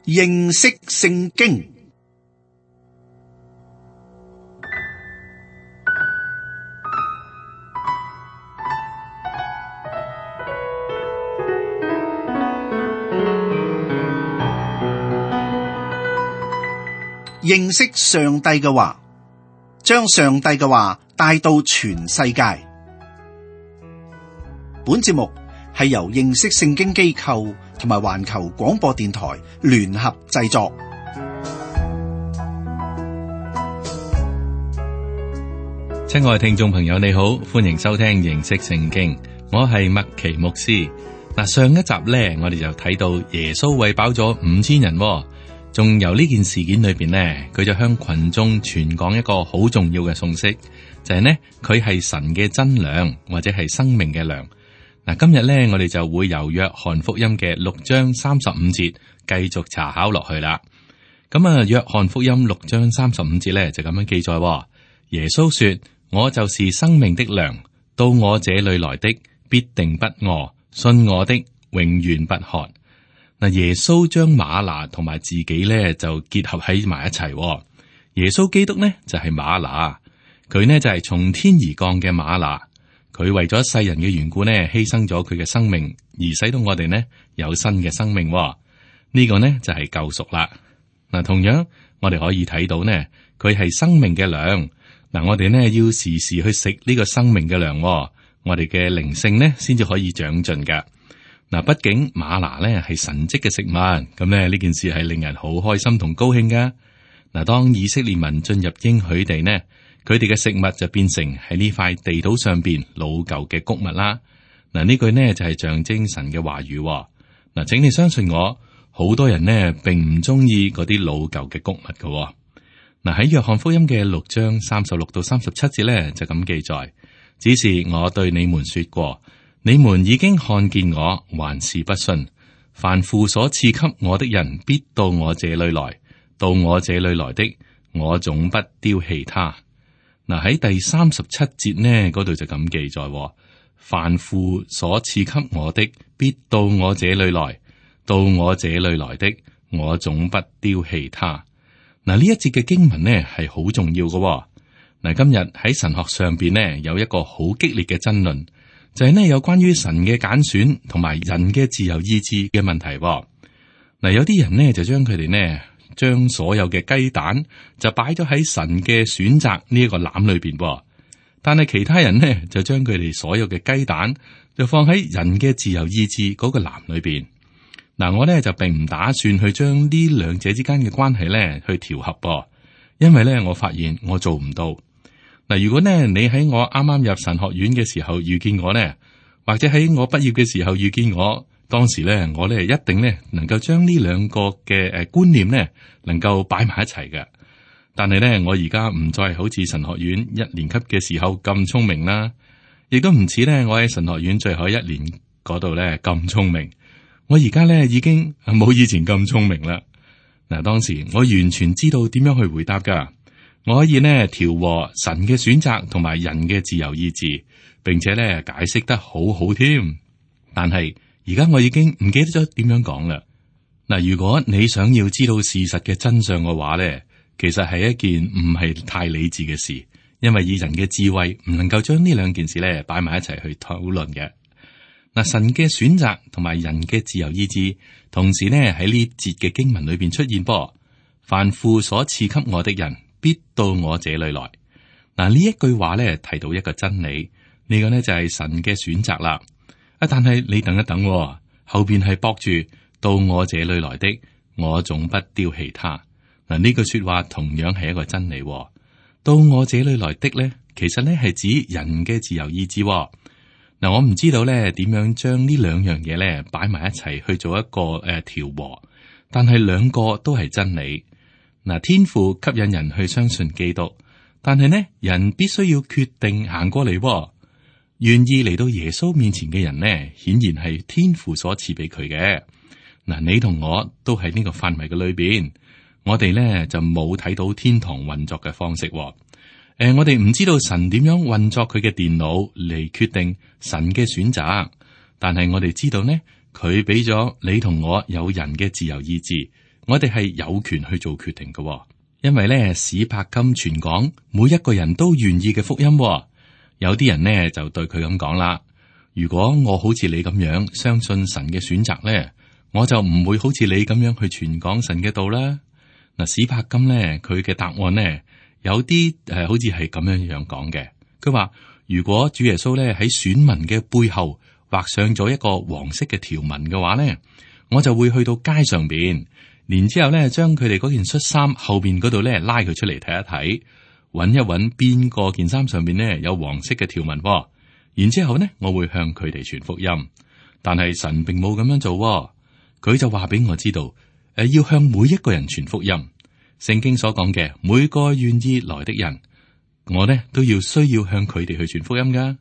認識聖經。認識上帝嘅話，將上帝嘅話帶到全世界。本節目係由認識聖經機構同埋環球廣播電台聯合製作。親愛聽眾朋友，你好，歡迎收聽認識聖經，我係麥奇牧師。嗱，上一集咧，我哋就睇到耶穌餵飽咗5000人。仲由呢件事件裏邊呢，佢就向群眾傳講一個好重要嘅信息，就係呢，佢係神嘅真糧，或者係生命嘅糧。嗱，今日呢，我哋就會由約翰福音嘅6章35節繼續查考落去啦。咁啊，約翰福音6章35節呢，就咁樣記載：耶穌說：我就是生命的糧，到我這裏來的必定不餓，信我的永遠不渴。嗱，耶穌將嗎哪同埋自己咧就結合喺埋一齊。耶穌基督呢就係嗎哪，佢呢就係從天而降嘅嗎哪。佢為咗世人嘅緣故呢，犧牲咗佢嘅生命，而使到我哋呢有新嘅生命。呢個呢就係救贖啦。嗱，同樣我哋可以睇到呢，佢係生命嘅糧。嗱，我哋呢要時時去食呢個生命嘅糧，我哋嘅靈性呢先至可以長進噶。嗱，畢竟嗎哪咧係神蹟嘅食物，咁咧呢件事係令人好開心同高興噶。嗱，當以色列民進入應許地呢，佢哋嘅食物就變成喺呢塊地土上邊老舊嘅穀物啦。嗱，呢句呢就係象徵神嘅話語。嗱，請你相信我，好多人呢並唔中意嗰啲老舊嘅穀物噶。嗱，喺約翰福音嘅6章36到37節咧就咁記載：只是我對你們說過，你們已經看見我，還是不信。凡父所賜給我的人，必到我這裏來；到我這裏來的，我總不丟棄他。嗱，喺第37節呢，嗰度就咁記載：凡父所賜給我的，必到我這裏來；到我這裏來的，我總不丟棄他。嗱，呢一節嘅經文呢係好重要嘅。嗱，今日喺神學上邊呢有一個好激烈嘅爭論。就係呢，有關於神嘅揀選同埋人嘅自由意志嘅問題。嗱，有啲人呢，就將佢哋呢，將所有嘅雞蛋就擺咗喺神嘅選擇呢一個籃裏邊，但係其他人呢，就將佢哋所有嘅雞蛋就放喺人嘅自由意志嗰個籃裏邊。嗱，我呢，就並唔打算去將呢兩者之間嘅關係呢去調和噃，因為呢，我發現我做唔到。嗱，如果呢你喺我啱啱入神學院嘅時候遇見我呢，或者喺我畢業嘅時候遇見我，當時呢我呢一定呢能夠將呢兩個嘅觀念呢能夠擺埋一齊嘅。但係呢，我而家唔再好似神學院1年級嘅時候咁聰明啦，亦都唔似呢我喺神學院最後1年嗰度呢咁聰明。我而家呢已經冇以前咁聰明啦。嗱，當時我完全知道點樣去回答噶。我可以呢調和神嘅選擇同埋人嘅自由意志，並且呢解釋得好好添。但係而家我已經唔記得咗點樣講啦。嗱，如果你想要知道事實嘅真相嘅話呢，其實係一件唔係太理智嘅事，因為以人嘅智慧唔能夠將呢兩件事呢擺埋一齊去討論嘅。嗱，神嘅選擇同埋人嘅自由意志，同時呢喺呢節嘅經文裏邊出現噃。凡父所賜給我的人，必到我這裏來。嗱，呢一句話咧提到一個真理，呢個呢就係神嘅選擇啦。但係你等一等，後邊係駁住到我這裏來的，我總不丟棄他。嗱，呢句說話同樣係一個真理。到我這裏來的咧，其實咧係指人嘅自由意志。嗱，我唔知道咧點樣將呢兩樣嘢咧擺埋一齊去做一個調和，但係兩個都係真理。嗱，天父吸引人去相信基督，但係呢，人必須要決定行過嚟。願意嚟到耶穌面前嘅人呢，顯然係天父所賜俾佢嘅。嗱，你同我都喺呢個範圍嘅裏邊，我哋呢就冇睇到天堂運作嘅方式。我哋唔知道神點樣運作佢嘅電腦嚟決定神嘅選擇，但係我哋知道呢，佢俾咗你同我有人嘅自由意志，我哋係有權去做決定嘅，因為咧史柏金全港每一個人都願意嘅福音。有啲人呢就對佢咁講啦：如果我好似你咁樣相信神嘅選擇咧，我就唔會好似你咁樣去傳講神嘅道啦。嗱，史柏金咧佢嘅答案呢，有啲好似係咁樣講嘅。佢話如果主耶穌咧喺選民嘅背後畫上咗一個黃色嘅條紋嘅話咧，我就會去到街上邊，然之後咧將佢哋嗰件恤衫後邊嗰度咧拉佢出嚟睇一睇，揾一揾邊個件衫上邊咧有黃色嘅條紋，然之後咧我會向佢哋傳福音。但係神並冇咁樣做，佢就話俾我知道，要向每一個人傳福音。聖經所講嘅每個願意來的人，我呢都要需要向佢哋去傳福音噶。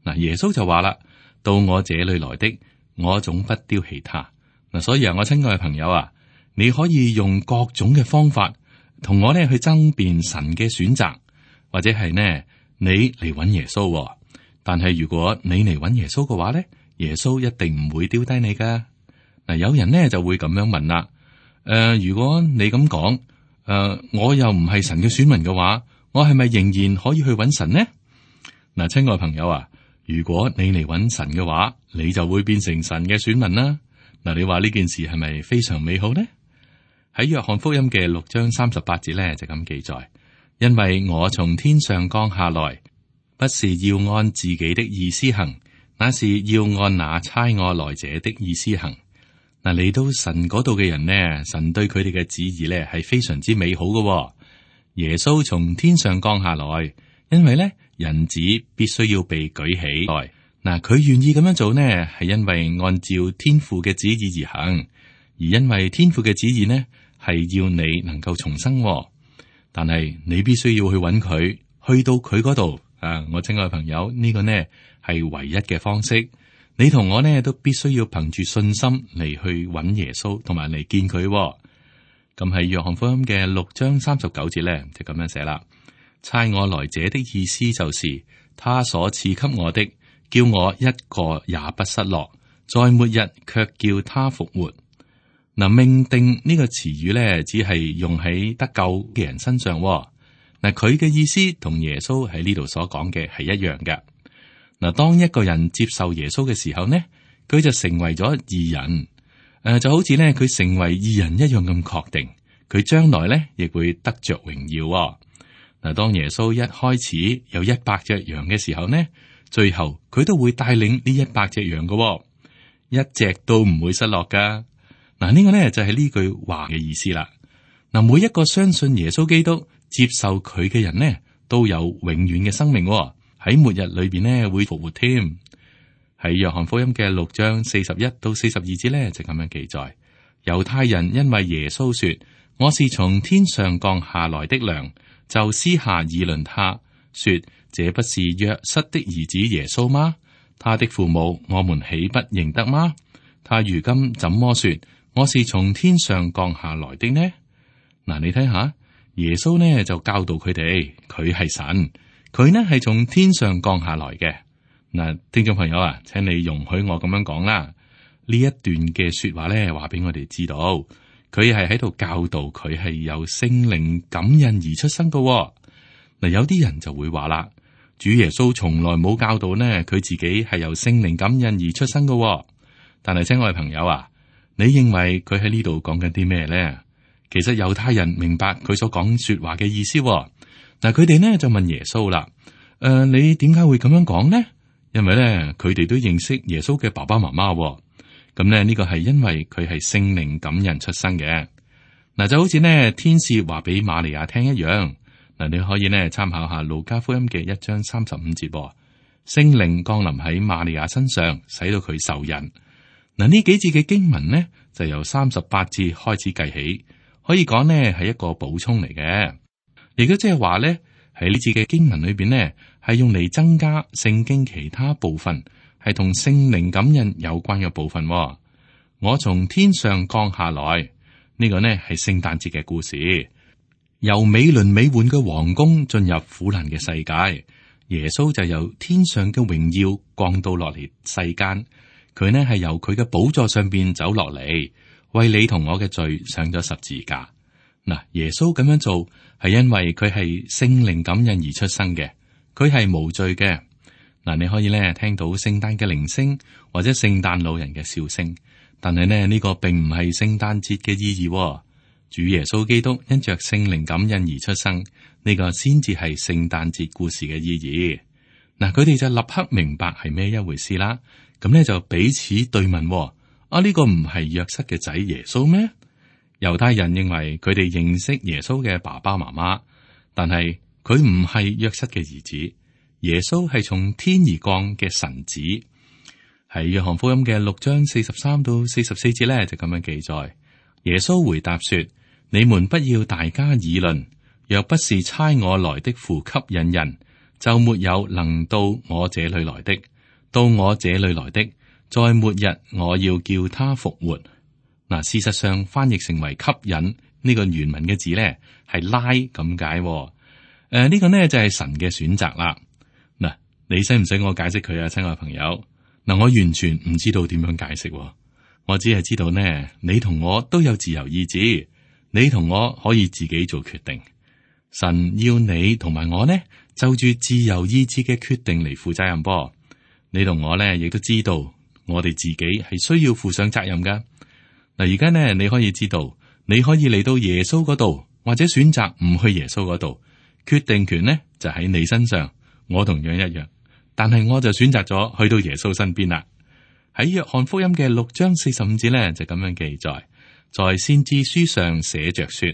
嗱，耶穌就話啦：到我這裏來的，我總不丟棄他。嗱，所以我親愛嘅朋友啊，你可以用各種嘅方法同我呢去爭辯神嘅選擇，或者係呢你嚟揾耶穌。但係如果你嚟揾耶穌嘅話呢，耶穌一定唔會丟低你噶。嗱，有人呢就會咁樣問啦：如果你咁講，我又唔係神嘅選民嘅話，我係咪仍然可以去揾神呢？嗱，親愛朋友啊，如果你嚟揾神嘅話，你就會變成神嘅選民啦。嗱，你話呢件事係咪非常美好呢？喺約翰福音嘅6章38節咧就咁記載：因為我從天上降下來，不是要按自己的意思行，那是要按那差我來者的意思行。嗱，嚟到神嗰度嘅人呢，神對佢哋嘅旨意呢係非常之美好嘅。耶穌從天上降下來，因為呢人子必須要被舉起來。嗱，佢願意咁樣做呢，係因為按照天父嘅旨意而行，而因為天父嘅旨意呢係要你能夠重生。但係你必須要去揾佢，去到佢嗰度啊！我親愛嘅朋友，呢個呢係唯一嘅方式。你同我呢都必須要憑住信心嚟去揾耶穌，同埋嚟見佢。咁喺約翰福音嘅6章39節呢，就咁樣寫啦：差我來者的意思就是他所賜給我的，叫我一個也不失落，在末日卻叫他復活。嗱，命定呢個詞語呢，只係用喺得救嘅人身上。嗱，佢嘅意思同耶穌喺呢度所講嘅係一樣嘅。嗱，當一個人接受耶穌嘅時候呢，佢就成為咗義人。就好似呢，佢成為義人一樣咁確定，佢將來呢亦會得着榮耀。嗱，當耶穌一開始有100隻羊嘅時候呢，最後佢都會帶領呢100隻羊嘅，一隻都唔會失落噶。嗱，呢個呢就係呢句話嘅意思啦。嗱，每一個相信耶穌基督、接受佢嘅人呢，都有永遠嘅生命。喺末日裏邊呢會復活添。喺約翰福音嘅6章41到42節呢就咁樣記載：猶太人因為耶穌說我是從天上降下來的糧，就私下議論他，說這不是約瑟的兒子耶穌嗎？他的父母我們豈不認得嗎？他如今怎麼說我是從天上降下來的呢？嗱，你睇下耶穌呢就教導佢哋，佢係神。佢呢係從天上降下來嘅。嗱，聽眾朋友啊，請你容許我咁樣講啦。呢一段嘅說話咧，話俾我哋知道，佢係喺度教導佢係由聖靈感孕而出生嘅。嗱，有啲人就會話啦，主耶穌從來冇教導呢，佢自己係由聖靈感孕而出生嘅。但係，親愛朋友啊，你認為佢喺呢度講緊啲咩咧？其實猶太人明白佢所講說話嘅意思。嗱，佢哋呢就問耶穌啦：你點解會咁樣講呢？因為咧，佢哋都認識耶穌嘅爸爸媽媽。咁咧，呢個係因為佢係聖靈感孕出生嘅。嗱，就好似呢天使話俾瑪利亞聽一樣。嗱，你可以呢參考下路加福音嘅1章35節。聖靈降臨喺瑪利亞身上，使到佢受孕。嗱，呢幾節嘅經文呢，就由38節開始計起，可以講呢係一個補充嚟嘅。亦都即係話咧，喺呢節嘅經文裏邊呢，係用嚟增加聖經其他部分係同聖靈感孕有關嘅部分。我從天上降下來，呢個呢係聖誕節嘅故事，由美輪美奐嘅皇宮進入苦難嘅世界，耶穌就由天上嘅榮耀降到落嚟世間。佢呢係由佢嘅寶座上邊走落嚟，為你同我嘅罪上咗十字架。嗱，耶穌咁樣做係因為佢係聖靈感孕而出生嘅，佢係無罪嘅。嗱，你可以咧聽到聖誕嘅鈴聲或者聖誕老人嘅笑聲，但係呢，呢個並唔係聖誕節嘅意義。主耶穌基督因着聖靈感孕而出生，呢個先至係聖誕節故事嘅意義。嗱，佢哋就立刻明白係咩一回事啦。咁呢，就彼此對問：呢個唔係約瑟嘅仔耶穌咩？猶太人認為佢哋認識耶穌嘅爸爸媽媽，但係佢唔係約瑟嘅兒子。耶穌係從天而降嘅神子。喺約翰福音嘅6章43到44節呢，就咁樣記載。耶穌回答說：你們不要大家議論，若不是差我來的父吸引人，就沒有能到我這裏來的。到我這裏來的，在末日我要叫他復活。嗱，事實上翻譯成為吸引呢個原文嘅字呢，係拉咁解。呢個呢就係神嘅選擇啦。嗱，你使唔使我解釋佢啊，親愛朋友？嗱，我完全唔知道點樣解釋，我只係知道呢，你同我都有自由意志，你同我可以自己做決定。神要你同埋我呢，就住自由意志嘅決定嚟負責任噃。你同我呢，亦都知道我哋自己係需要負上責任噶。嗱，而家呢，你可以知道，你可以嚟到耶穌嗰度，或者選擇唔去耶穌嗰度，決定權呢就喺你身上。我同樣一樣，但係我就選擇咗去到耶穌身邊啦。喺約翰福音嘅6章45節呢，就咁樣記載，在先知書上寫着說，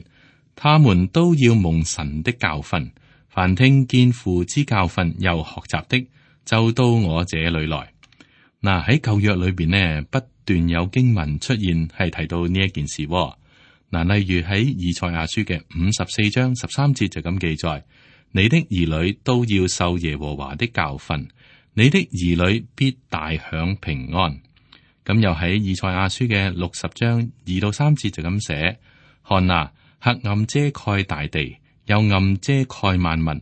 他們都要蒙神的教訓，凡聽見父之教訓又學習的，就到我這裏來。嗱，喺舊約裏邊呢，不斷有經文出現係提到呢一件事。嗱，例如喺以賽亞書嘅54章13節就咁記載，你的兒女都要受耶和華的教訓。你的兒女必大享平安。咁又喺以賽亞書嘅60章2到3節就咁寫：看啊，黑暗遮蓋大地，幽暗遮蓋萬民，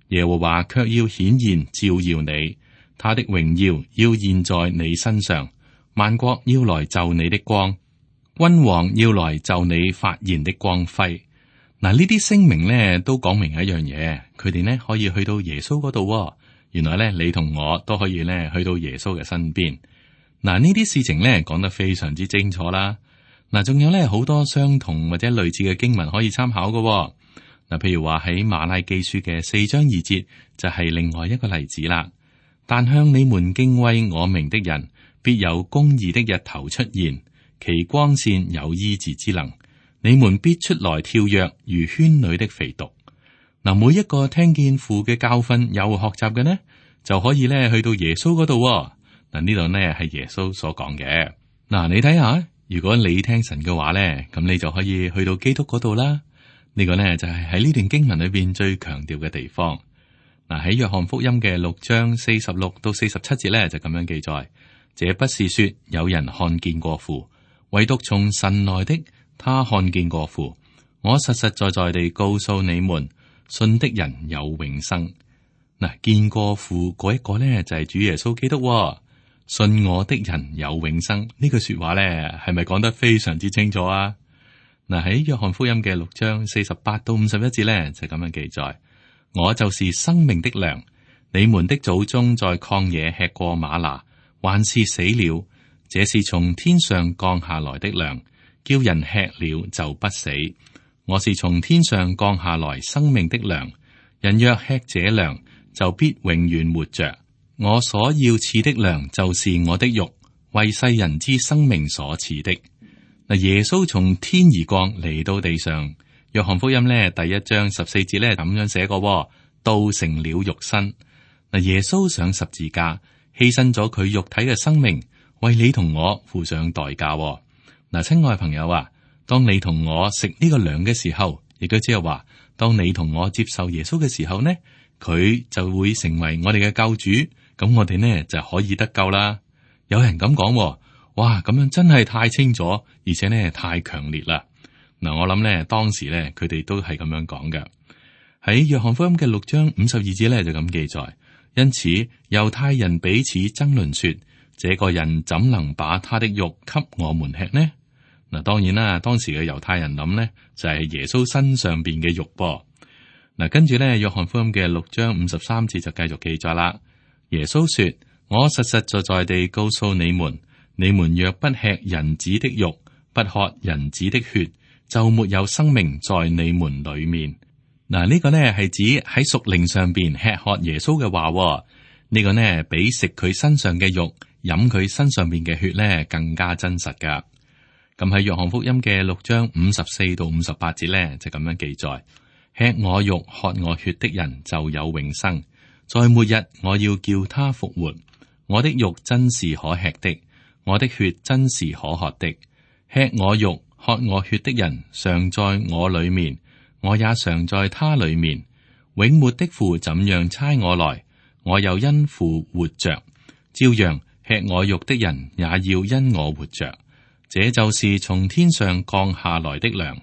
耶和華卻要顯現照耀你，他的榮耀要現在你身上，萬國要來就你的光，君王要來就你發現的光輝。嗱，呢啲聲明呢都講明一樣嘢，佢哋呢可以去到耶穌嗰度。原來咧，你同我都可以咧去到耶穌嘅身邊。嗱，呢啲事情咧講得非常之清楚啦。嗱，仲有咧好多相同或者類似嘅經文可以參考嘅。嗱，譬如話喺馬拉基書嘅4章2節就係另外一個例子啦。但向你們敬畏我名的人，必有公義的日頭出現，其光線有醫治之能，你們必出來跳躍，如圈裏的肥犢。嗱，每一個聽見父嘅教訓又學習嘅呢，就可以咧去到耶穌嗰度。嗱，呢度呢係耶穌所講嘅。嗱，你睇下，如果你聽神嘅話咧，咁你就可以去到基督嗰度啦。呢個呢就係喺呢段經文裏邊最強調嘅地方。嗱，喺約翰福音嘅6章46到47節咧就咁樣記載：這不是說有人看見過父，唯獨從神來的，他看見過父。我實實在在地告訴你們，信的人有永生。嗱，見過父嗰一個咧就係主耶穌基督。信我的人有永生，呢句說話咧係咪講得非常之清楚啊？嗱，喺約翰福音嘅6章48到51節咧就咁樣記載：我就是生命的糧，你們的祖宗在曠野吃過嗎哪，還是死了。這是從天上降下來的糧，叫人吃了就不死。我是從天上降下來生命的糧，人若吃這糧，就必永遠活着。我所要賜的糧就是我的肉，為世人之生命所賜的。嗱，耶穌從天而降嚟到地上，約翰福音呢第1章14節呢咁樣寫過：道成了肉身。嗱，耶穌上十字架，犧牲咗佢肉體嘅生命，為你同我付上代價。嗱，親愛朋友啊，當你同我食呢個糧嘅時候，亦都即係話，當你同我接受耶穌嘅時候呢，佢就會成為我哋嘅救主，咁我哋呢就可以得救啦。有人咁講，哇，咁樣真係太清楚，而且呢太強烈啦。嗱，我諗呢當時呢佢哋都係咁樣講嘅。喺約翰福音嘅6章52節呢就咁記載，因此猶太人彼此爭論說：這個人怎能把他的肉給我們吃呢？嗱，當然啦，當時嘅猶太人諗呢，就係耶穌身上邊嘅肉噃。嗱，跟住咧，約翰福音嘅6章53節就繼續記載啦。耶穌說：我實實在在地告訴你們，你們若不吃人子的肉，不喝人子的血，就沒有生命在你們裏面。嗱，呢個呢係指喺屬靈上邊吃喝耶穌嘅話。呢個呢比食佢身上嘅肉、飲佢身上邊嘅血呢更加真實噶。咁喺約翰福音嘅6章54到58節呢，就咁樣記載：吃我肉、喝我血的人就有永生，在末日我要叫他復活。我的肉真是可吃的，我的血真是可喝的。吃我肉、喝我血的人常在我裏面，我也常在他裏面。永活的父怎樣差我來，我又因父活着，照樣吃我肉的人也要因我活着。這就是從天上降下來的糧，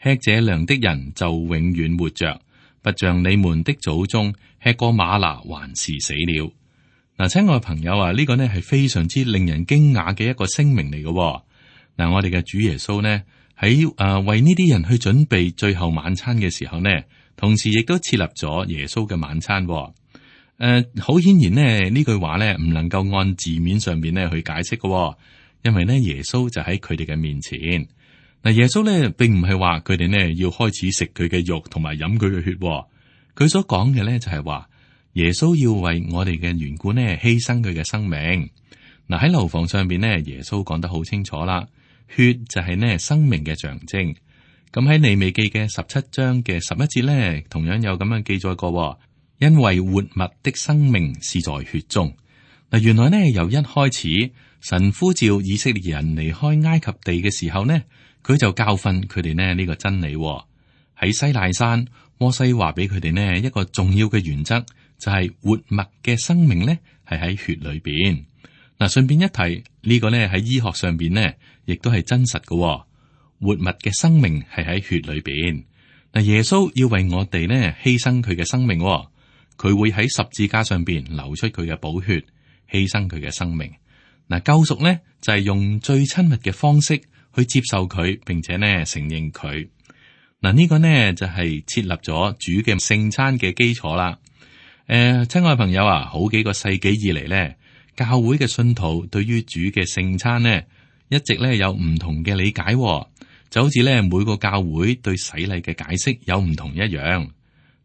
吃這糧的人就永遠活着，不像你們的祖宗吃過嗎哪還是死了。嗱，親愛朋友啊，呢個呢係非常之令人驚訝嘅一個聲明嚟嘅。嗱，我哋嘅主耶穌呢喺為呢啲人去準備最後晚餐嘅時候呢，同時亦都設立咗耶穌嘅晚餐。好顯然呢句話呢唔能夠按字面上邊呢去解釋嘅。因為呢，耶穌就喺佢哋嘅面前。嗱，耶穌呢並唔係話佢哋呢要開始食佢嘅肉同埋飲佢嘅血。佢所講嘅呢就係話耶穌要為我哋嘅緣故呢犧牲佢嘅生命。嗱，喺樓房上邊呢，耶穌講得好清楚啦，血就係呢生命嘅象徵。咁喺利未記嘅17章嘅11節呢，同樣有咁樣記載過，因為活物的生命是在血中。嗱，原來呢由一開始，神呼召以色列人離開埃及地嘅時候呢，佢就教訓佢哋呢個真理。喺西奈山，摩西話俾佢哋呢一個重要嘅原則，就係活物嘅生命呢係喺血裏邊。嗱，順便一提，呢個呢喺醫學上邊呢亦都係真實嘅。活物嘅生命係喺血裏邊。嗱，耶穌要為我哋呢犧牲佢嘅生命，佢會喺十字架上邊流出佢嘅寶血，犧牲佢嘅生命。嗱，救贖呢就係用最親密嘅方式去接受佢，並且呢承認佢。嗱，呢個呢就係設立咗主嘅聖餐嘅基礎啦。親愛朋友啊，好幾個世紀以嚟呢，教會嘅信徒對於主嘅聖餐呢，一直呢有唔同嘅理解，就好似呢每個教會對洗禮嘅解釋有唔同一樣。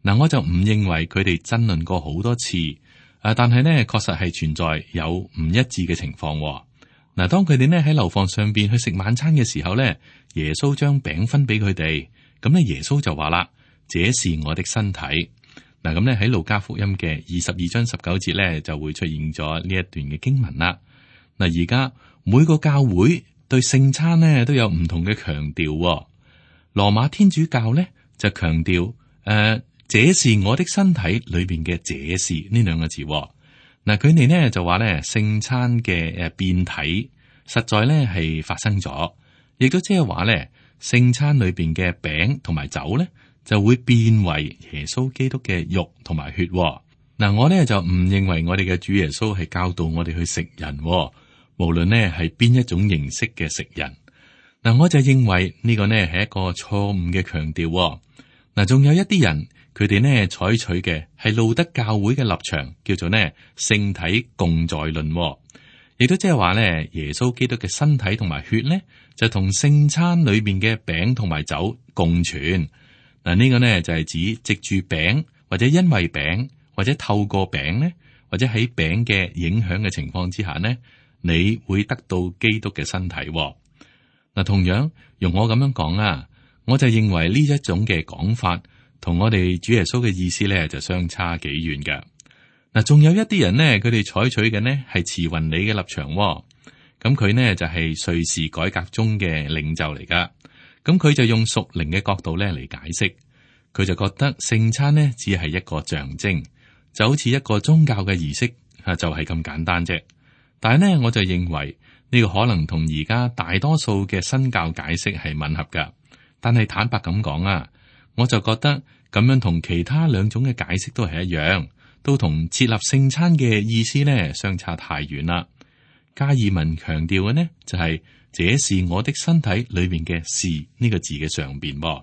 嗱，我就唔認為佢哋爭論過好多次。但係呢，確實係存在有唔一致嘅情況。嗱，當佢哋呢喺樓房上邊去食晚餐嘅時候呢，耶穌將餅分俾佢哋，咁呢，耶穌就話啦：這是我的身體。嗱，咁呢喺路加福音嘅22章19節呢，就會出現咗呢一段嘅經文啦。嗱，而家每個教會對聖餐呢都有唔同嘅強調。羅馬天主教呢就強調這是我的身體裏邊嘅這是呢兩個字。嗱，佢哋呢就話呢聖餐嘅變體實在呢係發生咗，亦都即係話呢聖餐裏邊嘅餅同埋酒呢就會變為耶穌基督嘅肉同埋血。嗱，我呢就唔認為我哋嘅主耶穌係教導我哋去食人，無論呢係邊一種形式嘅食人。嗱，我就認為呢個呢係一個錯誤嘅強調。嗱，仲有一啲人。佢哋呢採取嘅係路德教會嘅立場，叫做呢聖體共在論，亦都即係話呢耶穌基督嘅身體同埋血呢就同聖餐裏邊嘅餅同埋酒共存。嗱，呢個呢就係指藉住餅或者因為餅或者透過餅呢或者喺餅嘅影響嘅情況之下呢，你會得到基督嘅身體。嗱，同樣用我咁樣講啊，我就認為呢一種嘅講法。同我哋主耶穌嘅意思咧就相差幾遠嘅。嗱，仲有一啲人呢，佢哋採取嘅呢係慈雲理嘅立場。咁佢呢就係瑞士改革中嘅領袖嚟噶。咁佢就用屬靈嘅角度咧嚟解釋，佢就覺得聖餐呢只係一個象徵，就好似一個宗教嘅儀式啊，就係咁簡單啫。但係呢，我就認為呢個可能同而家大多數嘅新教解釋係吻合噶。但係坦白咁講啊。我就覺得咁樣同其他兩種嘅解釋都係一樣，都同設立聖餐嘅意思呢相差太遠啦。加爾文強調嘅呢，就係這是我的身體裏面嘅是呢個字嘅上邊。嗱，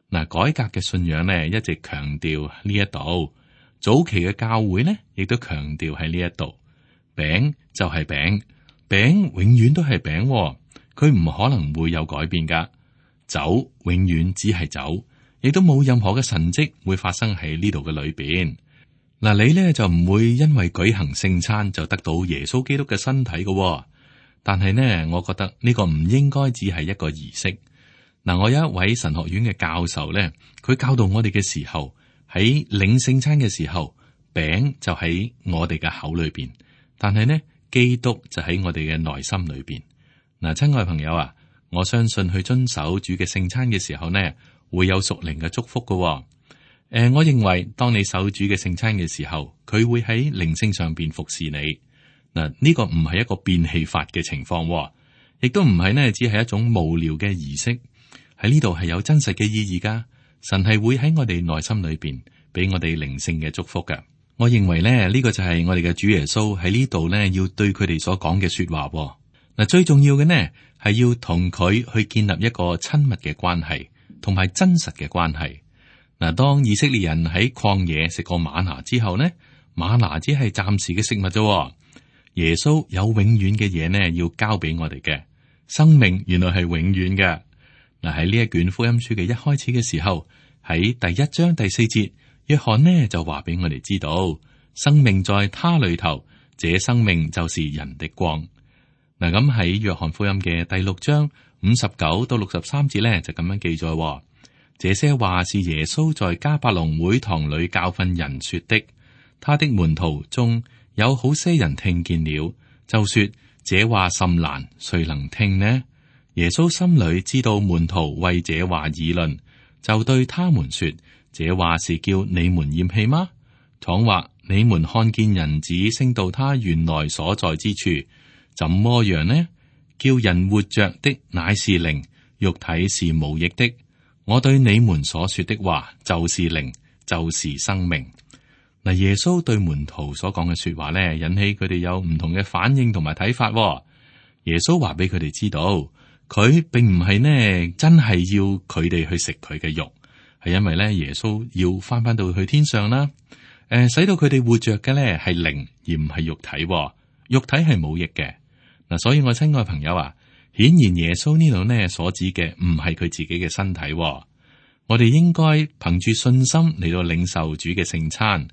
改革嘅信仰呢，一直強調呢一度，早期嘅教會呢，亦都強調喺呢一度，餅就係餅，餅永遠都係餅，佢唔可能會有改變噶。酒永遠只係酒，亦都冇任何嘅神蹟會發生喺呢度嘅裏邊。嗱，你呢就唔會因為舉行聖餐就得到耶穌基督嘅身體嘅。但係呢，我覺得呢個唔應該只係一個儀式。嗱，我有一位神學院嘅教授呢，佢教導我哋嘅時候，喺領聖餐嘅時候，餅就喺我哋嘅口裏邊，但係呢，基督就喺我哋嘅內心裏邊。嗱，親愛朋友啊，我相信去遵守主嘅聖餐嘅時候呢，會有屬靈嘅祝福嘅。我認為當你守主嘅聖餐嘅時候，佢會喺靈性上邊服侍你。嗱，呢個唔係一個變戲法嘅情況，亦都唔係呢，只係一種無聊嘅儀式。喺呢度係有真實嘅意義噶。神係會喺我哋內心裏邊俾我哋靈性嘅祝福噶。我認為呢，呢個就係我哋嘅主耶穌喺呢度呢，要對佢哋所講嘅說話。嗱，最重要嘅呢係要同佢去建立一個親密嘅關係，同埋真實嘅關係。嗱，當以色列人喺曠野食過嗎哪之後呢，嗎哪只係暫時嘅食物啫。耶穌有永遠嘅嘢呢，要交俾我哋嘅生命，原來係永遠嘅。嗱，喺呢一卷福音書嘅一開始嘅時候，喺第1章第4節，約翰呢就話俾我哋知道，生命在他裏頭，這生命就是人的光。嗱，咁喺約翰福音嘅第6章59到63節呢，就咁樣記載，這些話是耶穌在迦百農會堂裏教訓人說的。他的門徒中有好些人聽見了，就說這話甚難，誰能聽呢？耶穌心裏知道門徒為這話議論，就對他們說：這話是叫你們厭棄嗎？倘或你們看見人子升到他原來所在之處，怎麼樣呢？叫人活着的乃是靈，肉體是無益的。我對你們所說的話就是靈，就是生命。嗱，耶穌對門徒所講嘅說話呢，引起佢哋有唔同嘅反應同埋睇法。耶穌話俾佢哋知道，佢並唔係呢真係要佢哋去食佢嘅肉，係因為咧耶穌要翻到去天上啦。使到佢哋活着嘅咧係靈而唔係肉體，肉體係冇益嘅。嗱，所以我親愛朋友啊，顯然耶穌呢度呢所指嘅唔係佢自己嘅身體。我哋應該憑住信心嚟到領受主嘅聖餐。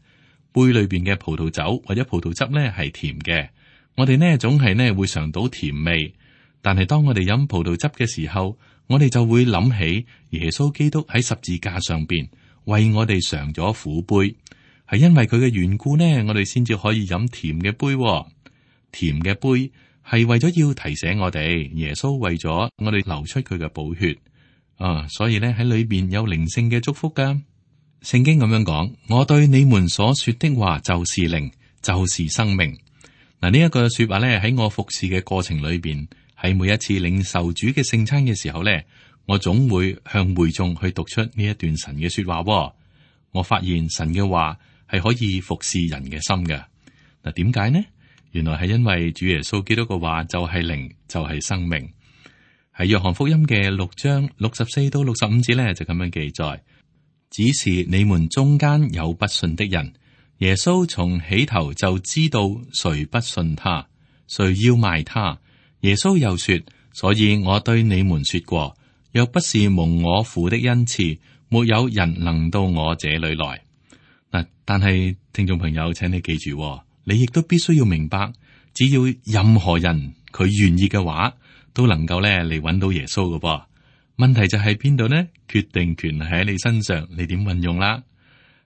杯裏邊嘅葡萄酒或者葡萄汁咧係甜嘅，我哋呢總係呢會嘗到甜味。但係當我哋飲葡萄汁嘅時候，我哋就會諗起耶穌基督喺十字架上邊為我哋嘗咗苦杯，係因為佢嘅緣故呢，我哋先至可以飲甜嘅杯。甜嘅杯係為咗要提醒我哋，耶穌為咗我哋流出佢嘅寶血所以呢喺裏邊有靈性嘅祝福噶。聖經咁樣講，我對你們所說的話就是靈，就是生命。嗱，呢一個說話咧喺我服侍嘅過程裏邊，喺每一次領受主嘅聖餐嘅時候咧，我總會向會眾去讀出呢一段神嘅說話。我發現神嘅話係可以服侍人嘅心嘅。嗱，點解呢？原來係因為主耶穌基督嘅話就係靈，就係生命。喺約翰福音嘅6章64到65節咧就咁樣記載。只是你們中間有不信的人，耶穌從起頭就知道誰不信他，誰要賣他。耶穌又說：所以我對你們說過，若不是蒙我父的恩賜，沒有人能到我這裏來。嗱，但係聽眾朋友，請你記住，你亦都必須要明白，只要任何人佢願意嘅話，都能夠咧嚟揾到耶穌嘅噃。問題就喺邊度呢？決定權喺你身上，你點運用啦？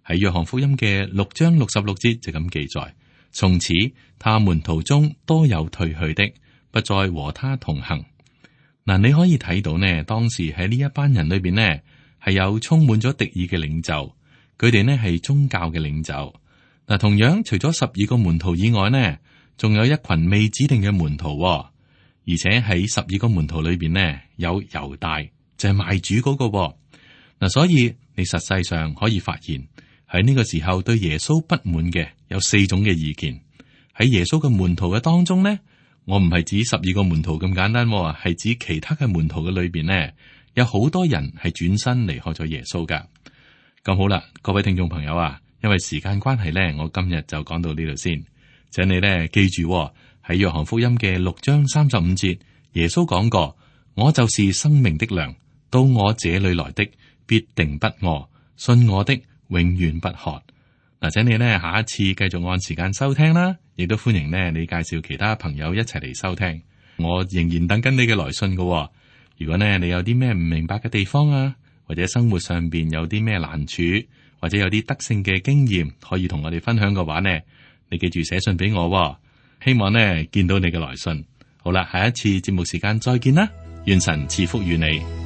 喺約翰福音嘅6章66節就咁記載：從此他門徒中多有退去的，不再和他同行。嗱，你可以睇到呢，當時喺呢一班人裏邊呢，係有充滿咗敵意嘅領袖，佢哋呢係宗教嘅領袖。嗱，同樣除咗12個門徒以外呢，仲有一群未指定嘅門徒，而且喺12個門徒裏邊呢，有猶大。就係賣主嗰個嗱，所以你實際上可以發現喺呢個時候對耶穌不滿嘅有4種嘅意見。喺耶穌嘅門徒嘅當中呢，我唔係指12個門徒咁簡單，係指其他嘅門徒嘅裏邊呢，有好多人係轉身離開咗耶穌噶。咁好啦，各位聽眾朋友啊，因為時間關係呢，我今日就講到呢度先。請你呢記住喺約翰福音嘅6章35節，耶穌講過：我就是生命的糧，到我這裏來的必定不餓，信我的永遠不渴。嗱，請你呢下一次繼續按時間收聽啦，亦都歡迎呢你介紹其他朋友一齊嚟收聽。我仍然等緊你嘅來信㗎。如果呢你有啲咩唔明白嘅地方啊，或者生活上邊有啲咩難處，或者有啲得勝嘅經驗可以同我哋分享嘅話呢，你記住寫信俾我，希望呢見到你嘅來信。好啦，下一次節目時間再見啦，願神賜福與你。